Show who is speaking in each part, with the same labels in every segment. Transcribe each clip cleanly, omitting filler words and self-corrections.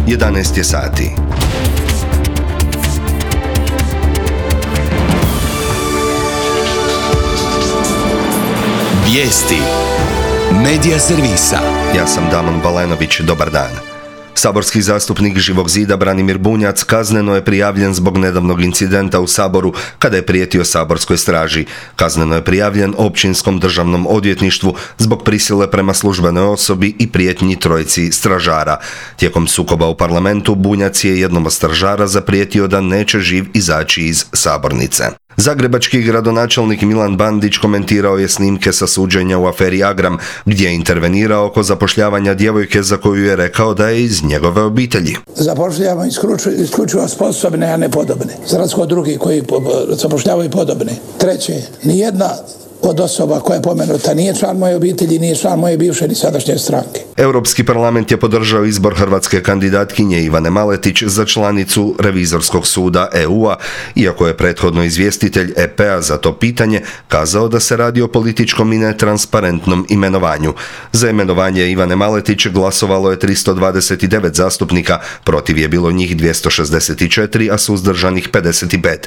Speaker 1: 11 je sati.
Speaker 2: Vijesti Medija servisa.
Speaker 1: Ja sam Damon Balenović, dobar dan. Saborski zastupnik Živog zida Branimir Bunjac kazneno je prijavljen zbog nedavnog incidenta u Saboru kada je prijetio saborskoj straži. Kazneno je prijavljen Općinskom državnom odvjetništvu zbog prisile prema službenoj osobi i prijetnji trojici stražara. Tijekom sukoba u parlamentu Bunjac je jednom od stražara zaprijetio da neće živ izaći iz sabornice. Zagrebački gradonačelnik Milan Bandić komentirao je snimke sa suđenja u aferi Agram, gdje je intervenirao oko zapošljavanja djevojke za koju je rekao da je iz njegove obitelji.
Speaker 3: Zapošljavamo isključivo sposobne, a ne podobne. Za razliku od drugih koji zapošljavaju podobne. Treće, nijedna od osoba koja je pomenuta nije član moje obitelji, nije član moje bivše ni sadašnje stranke.
Speaker 1: Europski parlament je podržao izbor hrvatske kandidatkinje Ivane Maletić za članicu Revizorskog suda EU-a, iako je prethodno izvjestitelj EP-a za to pitanje kazao da se radi o političkom i netransparentnom imenovanju. Za imenovanje Ivane Maletić glasovalo je 329 zastupnika, protiv je bilo njih 264, a suzdržanih 55.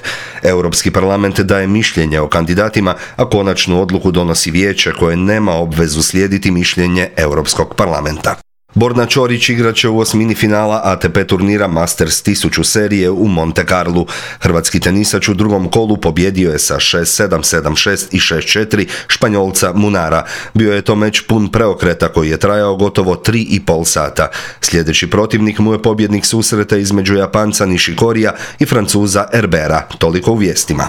Speaker 1: Europski parlament daje mišljenje o kandidatima, a konačnu odluku donosi vijeće koje nema obvezu slijediti mišljenje Europskog parlamenta. Borna Ćorić igraće u osmini finala ATP turnira Masters 1000 serije u Monte Carlu. Hrvatski tenisač u drugom kolu pobjedio je sa 6-7, 7-6 i 6-4 Španjolca Munara. Bio je to meč pun preokreta koji je trajao gotovo 3,5 sata. Sljedeći protivnik mu je pobjednik susreta između Japanca Nishikorija i Francuza Herbera. Toliko u vijestima.